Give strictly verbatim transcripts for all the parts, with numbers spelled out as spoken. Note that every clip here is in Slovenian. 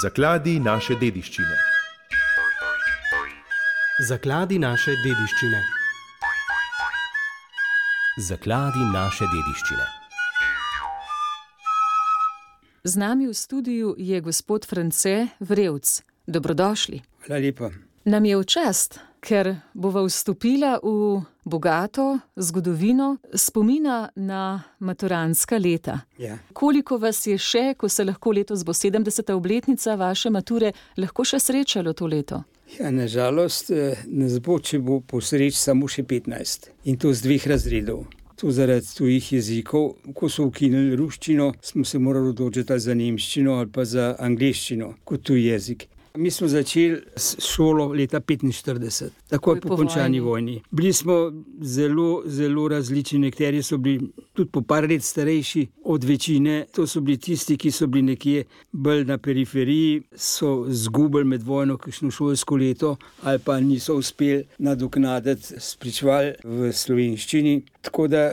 Zakladi naše dediščine. Zakladi naše dediščine. Zakladi naše dediščine. Z nami v studiu je gospod France Vrevc. Dobrodošli. Hvala lepa. Nam je v čast, ker bova vstopila v bogato zgodovino spomina na maturantska leta. Ja. Koliko vas je še, ko se lahko letos bo sedemdeseta obletnica vaše mature, lahko še srečalo to leto? Ja, nažalost, nas bo, če bo po sreči, samo še petnajst. In to z dveh razredov. To zaradi tujih jezikov. Ko so ukinili ruščino, smo se morali odločiti za nemščino ali pa za angleščino kot tuj jezik. Mi smo začeli s šolo leta petinštirideset, takoj po končani vojni. Bili smo zelo, zelo različni, nekateri so bili tudi po par let starejši od večine. To so bili tisti, ki so bili nekje bolj na periferiji, so zgubili med vojno kakšno šolsko leto ali pa niso uspeli nadoknaditi spričeval v slovenščini. Tako da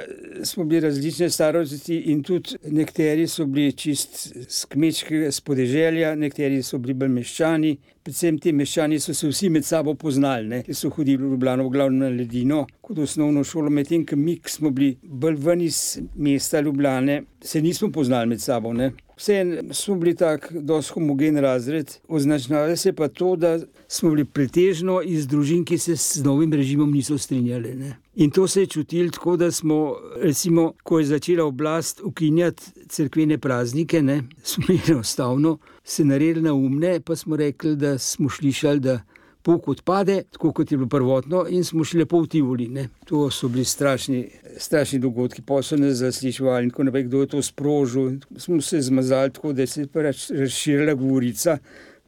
smo bili različne starosti in tudi nekateri so bili čist z kmečkega podeželja, nekateri so bili bolj meščani. Predvsem ti meščani so se vsi med sabo poznali, ne? Ki so hodili v Ljubljano v glavno na Ledino kot osnovno šolo, medtem ko mi, ki smo bili bolj ven iz mesta Ljubljane, se nismo poznali med sabo. Ne? Vseeno smo bili tak dosti homogen razred, označnalo se pa to, da smo bili pretežno iz družin, ki se s novim režimom niso strinjali. Ne? In to se je čutilo tako, da smo, recimo, ko je začela oblast ukinjati cerkvene praznike, ne, smo enostavno se naredili naumne, pa smo rekli, da smo slišali, da pouk odpade, tako kot je bilo prvotno, in smo šli lepo v Tivoli. Ne. To so bili strašni, strašni dogodki, pa so nas zasliševali in tako naprej, kdo je to sprožil. Smo se zmazali tako, da se je razširila govorica,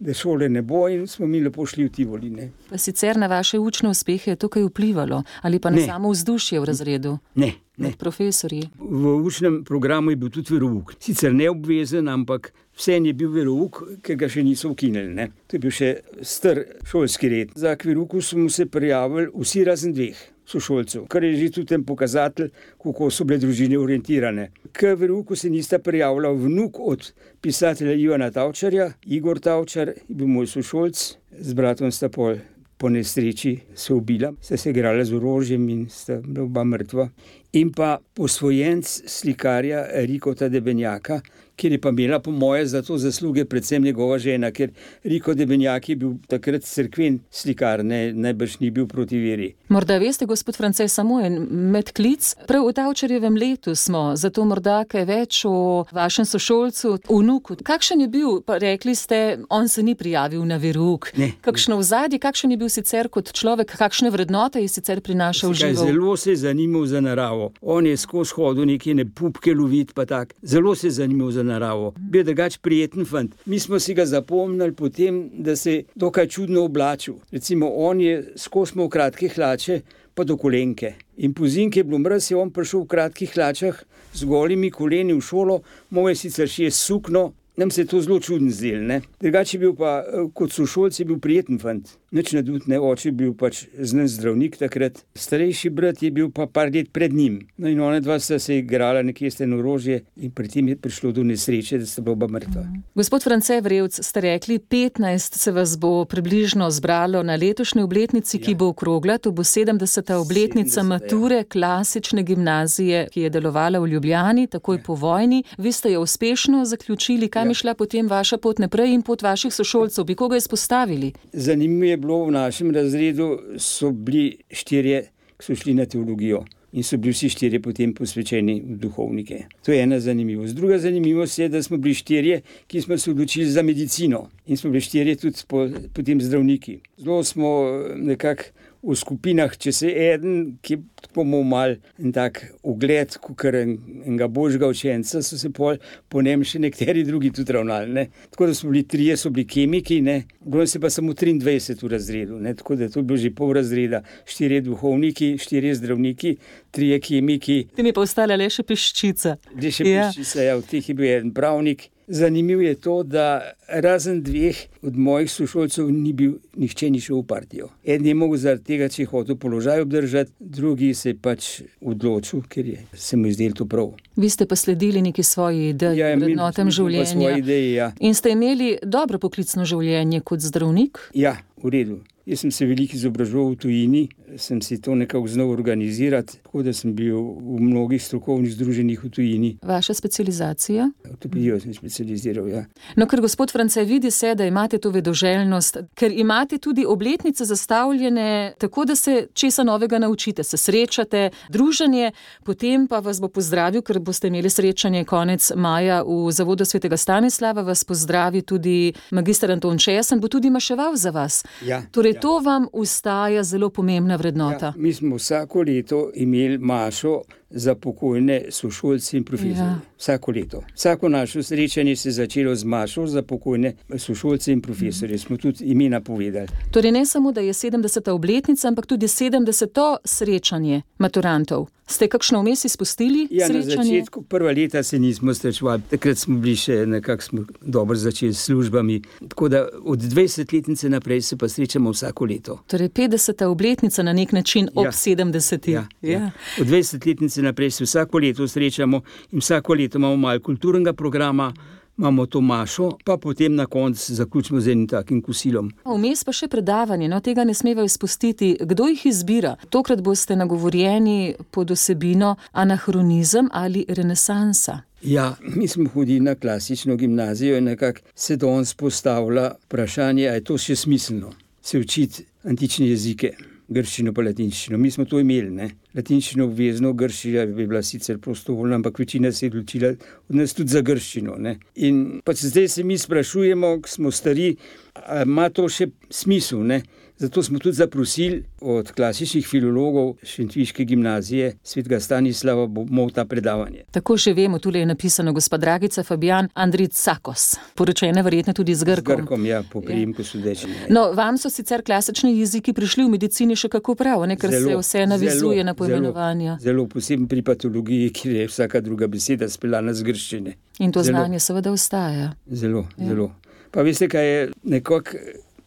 da šole ne bo, in smo mi lepo šli v Tivoli. Ne. Pa sicer na vaše učne uspehe je to kaj vplivalo? Ali pa na Ne. samo vzdušje v razredu? Ne, ne. Med profesorji? V učnem programu je bil tudi verouk. Sicer neobvezen, ampak vseeno je bil verouk, ki ga še niso ukinili. Ne. To je bil še star šolski red. Za k verouku smo se prijavili vsi razen dveh sošolcev, kar je že tudi en pokazatelj, kako so bile družine orientirane. K verouku se nista prijavila vnuk od pisatelja Ivana Tavčarja. Igor Tavčar je bil moj sošolc, z bratom sta pol po nesreči se ubila, sta se igrala z orožjem in sta bila oba mrtva. In pa posvojenc slikarja Rikota Debenjaka, kjer je pa imela po moje za to zasluge predvsem njegova žena, ker Riko Debenjak je bil takrat cerkven slikar, ne, najbrž ni bil proti veri. Morda veste, gospod France, samo en medklic. Prav v Tavčarjevem letu smo, zato morda kaj več o vašem sošolcu, vnuku. Kakšen je bil, pa rekli ste, on se ni prijavil na verouk. Ne. Kakšno ozadje, kakšen je bil sicer kot človek, kakšne vrednote je sicer prinašal Kaj, živo? zelo se je zanimal za naravo. On je skozi hodil neke ne pupke lovit, pa tak. Zelo se je zanimal za naravo. Bil drugač prijeten fant. Mi smo si ga zapomnili potem, da se je dokaj čudno oblačil. Recimo, on je skozi imel kratke hlače, pa do kolenke. In pozimi, ko je bilo mraz, je on prišel v kratkih hlačah z golimi koleni v šolo, moj je sicer še sukno. Nam se je to zelo čudno zdelo, ne. Drugače je bil pa, kot sošolc je bil prijeten fant. Nič nadut, ne, oče je bil pač znan zdravnik takrat. Starejši brat je bil pa par let pred njim. No in ona dva sta se igrala nekje s tem orožje in pri tem je prišlo do nesreče, da sta bila oba mrtva. Gospod France Vrevc, ste rekli, petnajst se vas bo približno zbralo na letošnji obletnici, ki bo okrogla, to bo sedemdeseta obletnica sedemdeseta, mature klasične gimnazije, ki je delovala v Ljubljani, takoj po vojni. Vi ste jo uspešno zaključili, kam je šla potem vaša pot naprej in pot vaših sošolcev? Bi koga izpostavili? Zanimivo je bilo, v našem razredu so bili štirje, ki so šli na teologijo. In so bili vsi štirje potem posvečeni v duhovnike. To je ena zanimivost. Druga zanimivost je, da smo bili štirje, ki smo se odločili za medicino. In smo bili štirje tudi po, potem zdravniki. Zelo smo nekako v skupinah, če se eden, ki bomo mal en tak ugled, kakor en, enega božjega učenca, so se pol po njem še nekateri drugi tudi ravnali. Ne. Tako da smo bili trije, so bili kemiki, ne. Bilo se pa samo triindvajset v razredu, ne. Tako da to je bilo že pol razreda. Štirje duhovniki, štirje zdravniki, trije kemiki. Ti mi pa ostala le še peščica. Le še Ja. peščica, ja, v teh je bil en pravnik, Zanimivo je to, da razen dveh od mojih sošolcev ni bil, nihče ni šel v partijo. En je mogel zaradi tega, če je hotel položaj obdržati, drugi se je pač odločil, ker je, se mu izdelo to prav. Vi ste pa sledili neki svoji ideji, Ja, mi- vrednotam mi smo pa življenja. svoje ideje, ja. In ste imeli dobro poklicno življenje kot zdravnik? Ja, v redu. Jaz sem se veliko izobraževal v tujini, sem si to nekako znal organizirati, tako da sem bil v mnogih strokovnih združenjih v tujini. Vaša specializacija? Ortopedijo sem specializiral, ja. No, ker gospod France, vidi se, da imate to vedoželjnost, ker imate tudi obletnice zastavljene tako, da se česa novega naučite, se srečate, druženje, potem pa vas bo pozdravil, ker boste imeli srečanje konec maja v Zavodu svetega Stanislava, vas pozdravi tudi magister Anton Česen, bo tudi maševal za vas. Ja, Torej, ja. to vam ostaja zelo pomembna vrednota. Ja, mi smo vsako leto imeli mašo za pokojne sošolce in profesorje. Ja. Vsako leto. Vsako naše srečanje se je začelo z mašo za pokojne sošolce in profesorje. Smo tudi imena povedali. Torej, ne samo, da je sedemdeseta obletnica, ampak tudi sedemdeseto srečanje maturantov. Ste kakšno vmes izpustili Ja, na srečanje? začetku prva leta se nismo srečevali, takrat smo bili še nekako smo dobro začeli s službami. Tako da od dvajsetletnice naprej se pa srečamo vsako leto. Torej, petdeseta obletnica na nek način ob Ja. sedemdeseti. Ja, ja. Od dvajsetletnice naprej se vsako leto srečamo in vsako leto imamo malo kulturnega programa, imamo to mašo, pa potem na koncu zaključimo z enim takim kosilom. Vmes pa še predavanje, no tega ne smeva izpustiti. Kdo jih izbira? Tokrat boste nagovorjeni pod osebino anahronizem ali renesansa. Ja, mi smo hodili na klasično gimnazijo in nekako se danes postavlja vprašanje, a je to še smiselno, se učiti antične jezike, grščino pa latinščino. Mi smo to imeli, ne. Latinščino obvezno, grščina bi bila sicer prostovoljna, ampak večina se je odločila od nas tudi za grščino, ne. In pač zdaj se mi sprašujemo, ko smo stari, a ima to še smisel, ne. Zato smo tudi zaprosili od klasičnih filologov Šentviške gimnazije svetega Stanislava, bomo ta predavanje. Tako že vemo, tule je napisano gospa Dragica Fabijan Andricakos, poročena verjetno tudi z Z Grkom. Grkom, ja, po priimku Sudečine. No, vam so sicer klasični jeziki prišli v medicini še kako prav, ne, ker se vse navizuje na poimenovanja. Zelo, zelo posebno pri patologiji, kjer je vsaka druga beseda speljana z grščine. In to Zelo. znanje seveda ostaja. Zelo, ja. zelo. Pa veste, kaj je nekako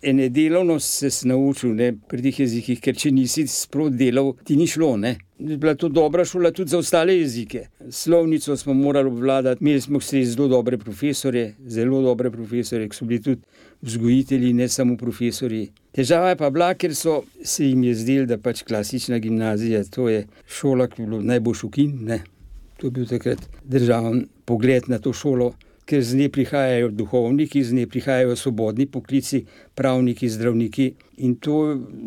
ene delovnost se si naučil, ne, pri teh jezikih, ker če nisi sprot delal, ti ni šlo, ne. Bila to dobra šola tudi za ostale jezike. Slovnico smo morali obvladati, imeli smo vse zelo dobre profesorje, zelo dobre profesorje, ki so bili tudi vzgojitelji, ne samo profesorji. Težava je pa bila, ker so se jim je zdelo, da pač klasična gimnazija, to je šola, ki je bilo najboljš ukin, ne. To je bil takrat državen pogled na to šolo, ker z nje prihajajo duhovniki, z nje prihajajo svobodni poklici, pravniki, zdravniki in to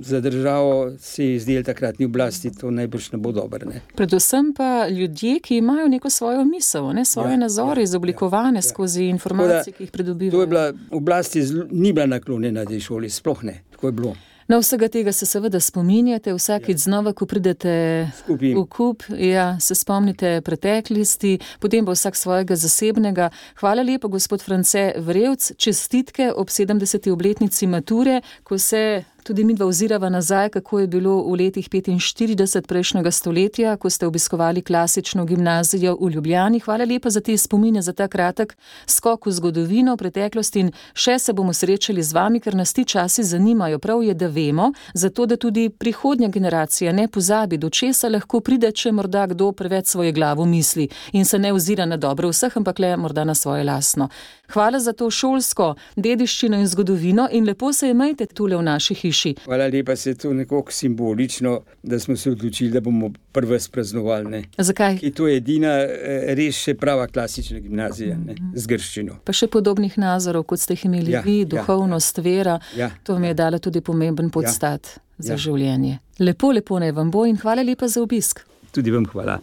za državo se je zdelo takratni oblasti, to najbrž ne bo dobro, ne. Predvsem pa ljudje, ki imajo neko svojo misel, ne, svoje Ja, nazore ja, izoblikovane ja, ja. skozi informacije, ki jih pridobivajo. To je bila, oblast je zelo, ni bila naklonjena tej šoli, sploh ne, tako je bilo. Na vsega tega se seveda spominjate, vsakič znova, ko pridete Skupaj. v kup, ja, se spomnite preteklosti, potem pa vsak svojega zasebnega. Hvala lepa, gospod France Vrevc, čestitke ob sedemdeseti obletnici mature, ko se tudi midva ozirava nazaj, kako je bilo v letih petinštirideset prejšnjega stoletja, ko ste obiskovali klasično gimnazijo v Ljubljani. Hvala lepa za te spomine, za ta kratek skok v zgodovino, preteklost in še se bomo srečali z vami, ker nas ti časi zanimajo. Prav je, da vemo, zato da tudi prihodnja generacija ne pozabi, do česa lahko pride, če morda kdo preveč svoje glavo misli in se ne ozira na dobro vseh, ampak le morda na svoje lastno. Hvala za to šolsko dediščino in zgodovino in lepo se imejte tule v naši hiši. Hvala lepa, se je to nekako simbolično, da smo se odločili, da bomo prve spraznovali, ne. Zakaj? Ki to je edina eh, res še prava klasična gimnazija, ne, z grščino. Pa še podobnih nazorov, kot ste jih imeli Ja, vi, ja, duhovnost, vera, Ja, to mi je dala tudi pomemben podstat za ja. življenje. Lepo, lepo naj vam bo in hvala lepa za obisk. Tudi vam hvala.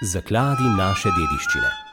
Zakladi naše dediščine.